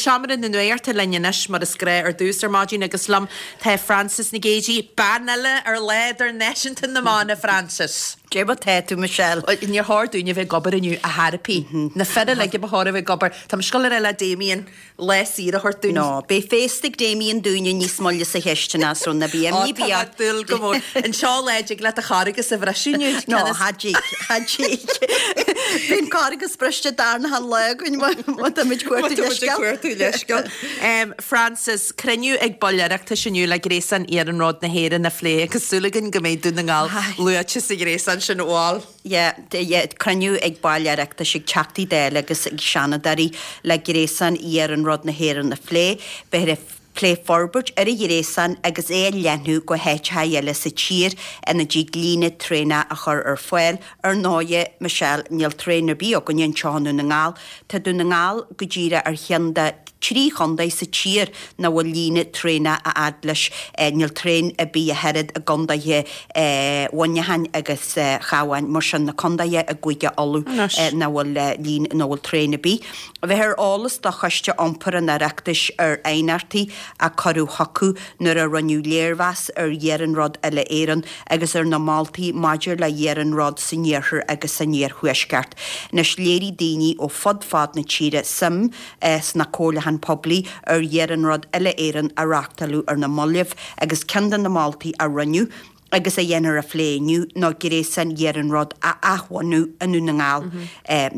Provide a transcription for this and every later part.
Seomra na Nuachta linn anois mar is gnáth ar dtús ar maidin agus liom tá Frances Nic Géadaigh, bean eile ar Lá Idirnáisiúnta na mBan, a Frances. Cé mar tá tú, Michelle? Níor chóir dúinn a bheith ag obair inniu ar chor ar bith. Na fir uilig a ba chóir a bheith ag obair. Tá mise ag dul a rá le Damien lá saor a thabhairt dúinn. No, beidh féasta ag Damien dúinne níos moille sa chistin as rud ná bí Ó, imní tá mé ag dúil go mór. An seo lá a dtig leat an Carghas a bhriseadh inniu. No, cha dtig, cha dtig. Bhí an Carghas briste darna lá againn má táimid ag cuartú leithscéal. Má táimid ag cuartú leithscéal. Frances, cruinniú ag baill Oireachtais inniu le gréasán iarnróid na hÉireann a phlé agus súil againn go mbeidh Dún na nGall luaite sa ghréasán sin, bhal. Yeah, yeah, cruinniú ag baill Oireachtais, ag Teachtaí Dála agus ag Seanadóirí le gréasán iarnróid na hÉireann a phlé. Beifear ag plé forbairt ar an ghréasán agus é a leathnú go háiteacha eile sa tír ina dtig líne traenach a chur ar fáil. Ar ndóighe, Michelle, níl traein ar bith againne anseo i nDún na nGall. Tá Dún na nGall go díreach ar cheann de thrí chontae sa tír nach bhfuil líne traenach a fhad leis. Níl traein ar bith ach oiread i gcontaetha Mhuineacháin agus Chabháin, mar sin na contaetha i gCúige Uladh nach bhfuil líne, nach bhfuil traein ar bith. Bheifear ar eolas do Choiste Iompair an Oireachtais ar aighneachtaí a cuireadh chucu nuair a rinneadh léirmheas ar Iarnród Uile-Éireann agus ar na moltaí maidir le hiarnród san iarthar agus san iarthuaisceart. Anois léirigh daoine ó fud fad na tíre suim sna comhairliúcháin poiblí ar Iarnród Uile-Éireann a reáchtáladh ar na mallaibh agus ceann de na moltaí a rinneadh agus a dhéanfar a phlé inniu ná gréasán iarnróid a athbhunú i nDún na nGall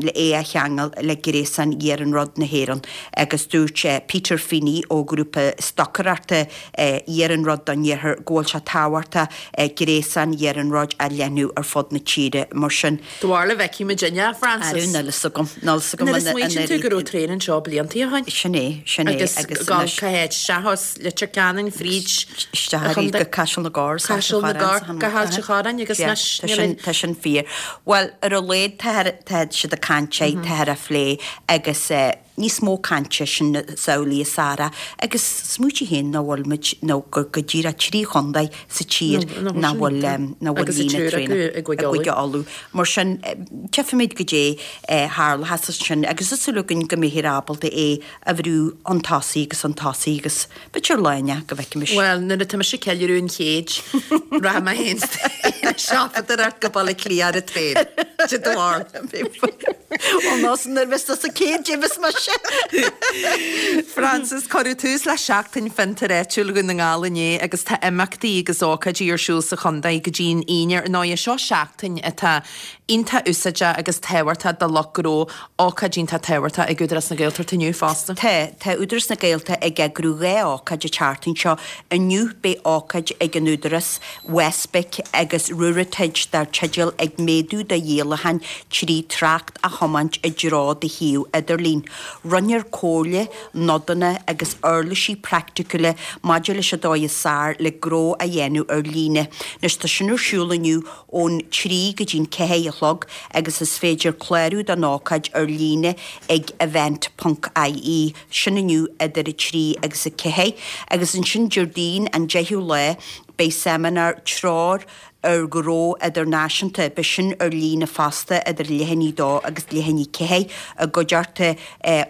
le é a cheangal le gréasán iarnróid na hÉireann agus dúirt Peter Feeney ó ghrúpa stocaireachta Iarnród don Iarthar go bhfuil sé tábhachtach gréasán iarnróid a leathnú ar fud na tíre mar sin. Do bharúil an bhfeicfidh muid inniu, a Frances? Arú, níl fhios agam, níl fhios agam Nuair a smaoitíonn tú go raibh traein anseo blianta ó shin. Sin é, sin é. Agus agus cá háit isteach as Leitir Ceanainn fríd Isteach arís go Caiseal na gCorr. Caiseal na gCorr, go hAilt an Chorráin agus anois níl aon. Tá sin fíor. Bhuel, ar a laghad tá siad ag caint air, táthar á phlé agus níos mó cainte, sin is amhlaidh is fearr agus smaoitigh féin nach bhfuil muid, nó gur go díreach 3 chontae sa tír nach bhfuil nach bhfuil líne traenach i gCúige Uladh. Mar sin, tchífimid goidé a tharlóchas ansin agus tá súil againn go mbeifear ábalta é a bhrú chun tosaigh agus chun tosaigh agus b'fhéidir lá inteacht go bhfeicfimis. Bhuel, nuair atá mise ag ceiliúradh an chéid, rachaidh mé féin ag siopadóireacht go Baile Átha Cliath ar an traein. Cad é do bharúil. Ó ná san nuair bheas tusa 100 díobh is mise. Frances, Cuireadh tús le Seachtain Fiontair Áitiúil Dhún na nGall inné agus tá imeachtaí agus ócáidí ar siúl sa chontae go dtí an Aoine. Ar ndóigh, seo seachtain atá iontach úsáideach agus tábhachtach do lucht gnó, ócáid iontach tábhachtach ag Údarás na Gaeltachta inniu fosta. Tá, tá Údarás na Gaeltachta ag eagrú 2 ócáid an tseachtain seo. Inniu beidh ócáid ag an Údarás, WestBIC agus Ruritage dar teideal 'Ag Méadú do Dhíolacháin 3 Trácht a Thiomáint i dtreo do Shuíomh Idirlín'. Roinnfear comhairle, nodanna agus uirlisí praiticiúla maidir leis an dóigh is fearr le gnó a dhéanamh ar líne. Anois tá sin ar siúl inniu ón 3 go dtí'n 4 a chlog agus is féidir clárú don ócáid ar líne ag event ponc ie, sin inniu idir 3 agus 4. Agus ansin Déardaoin an 10ú lá beidh seimineár Treoir ar Ghnó Idirnáisiúnta, beidh sin ar líne fosta idir leath i ndiaidh 2 agus leath i ndiaidh 4 i gcuideachta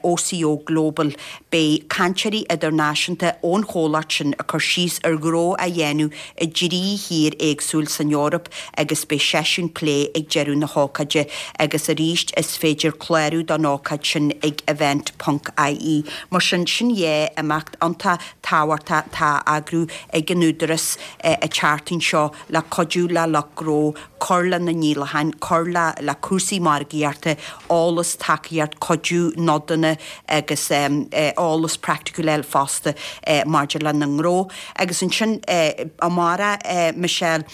OCO Global. Beidh cainteoirí idirnáisiúnta ón chomhlacht sin ag cur síos ar ghnó a dhéanamh i dtrí thír éagsúil san Eoraip agus beidh seisiún plé ag deireadh na hócáide agus arís is féidir clárú don ócáid sin ag event ponc ie. Mar sin, sin dhá imeacht iontach tábhachtach atá á eagrú ag an Údarás an tseachtain seo le cuidiú le lucht gnó cur lena ndíolacháin, cur le le cúrsaí margaíochta, eolas, tacaíocht, cuidiú, nodanna agus eolas praiticiúil eile fosta maidir lena ngnó. Agus ansin amárach, Michelle,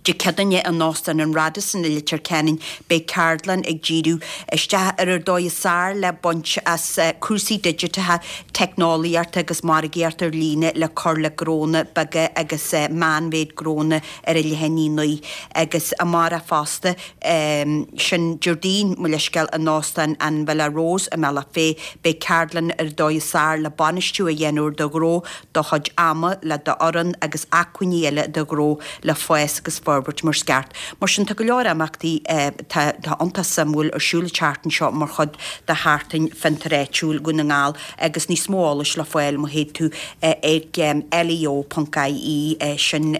Dé Céadaoine in Óstán an Radisson i Leitir Ceanainn beidh ceardlann ag díriú isteach ar an dóigh is fearr le baint as cúrsaí digiteacha, teicneolaíochta agus margaíocht ar líne le cur le gnónna beaga agus meánmhéid gnónna ar an Leithéan Uí Naoi agus amárach fosta, sin Déardaoin, mo leithscéal, in Óstán an Villa Rose i mBealach Féich, beidh ceardlann ar an dóigh is fearr le bainistiú a dhéanamh ar do ghnó, do chuid ama, le d'fhoireann agus acmhainní eile do ghnó le fás agus. forbairt mar is ceart. Mar sin tá go leor imeachtaí atá iontach suimiúil ar siúl an tseachtain seo mar chuid de Sheachtain Fiontar Áitiúil Dhún na nGall agus níos mó eolais le fáil má théid tú ag leo.ie, sin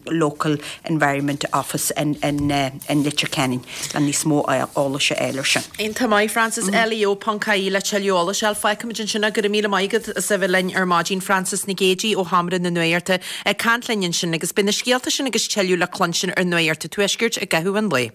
Local Environment Office in Leitir Ceanainn le níos mó eolais a fháil ar sin. Iontach maith, Frances, leo.ie le tuilleadh eolais a fháil. Fágfaimid ansin é. Go raibh míle maith agat as a bheith linn ar maidin, Frances Nic Géadaigh ó Sheomra na Nuachta ag caint linn ansin agus beidh na scéalta sin agus tuilleadh le cluinstin ar Nuacht an Tuaiscirt i gcaitheamh an lae.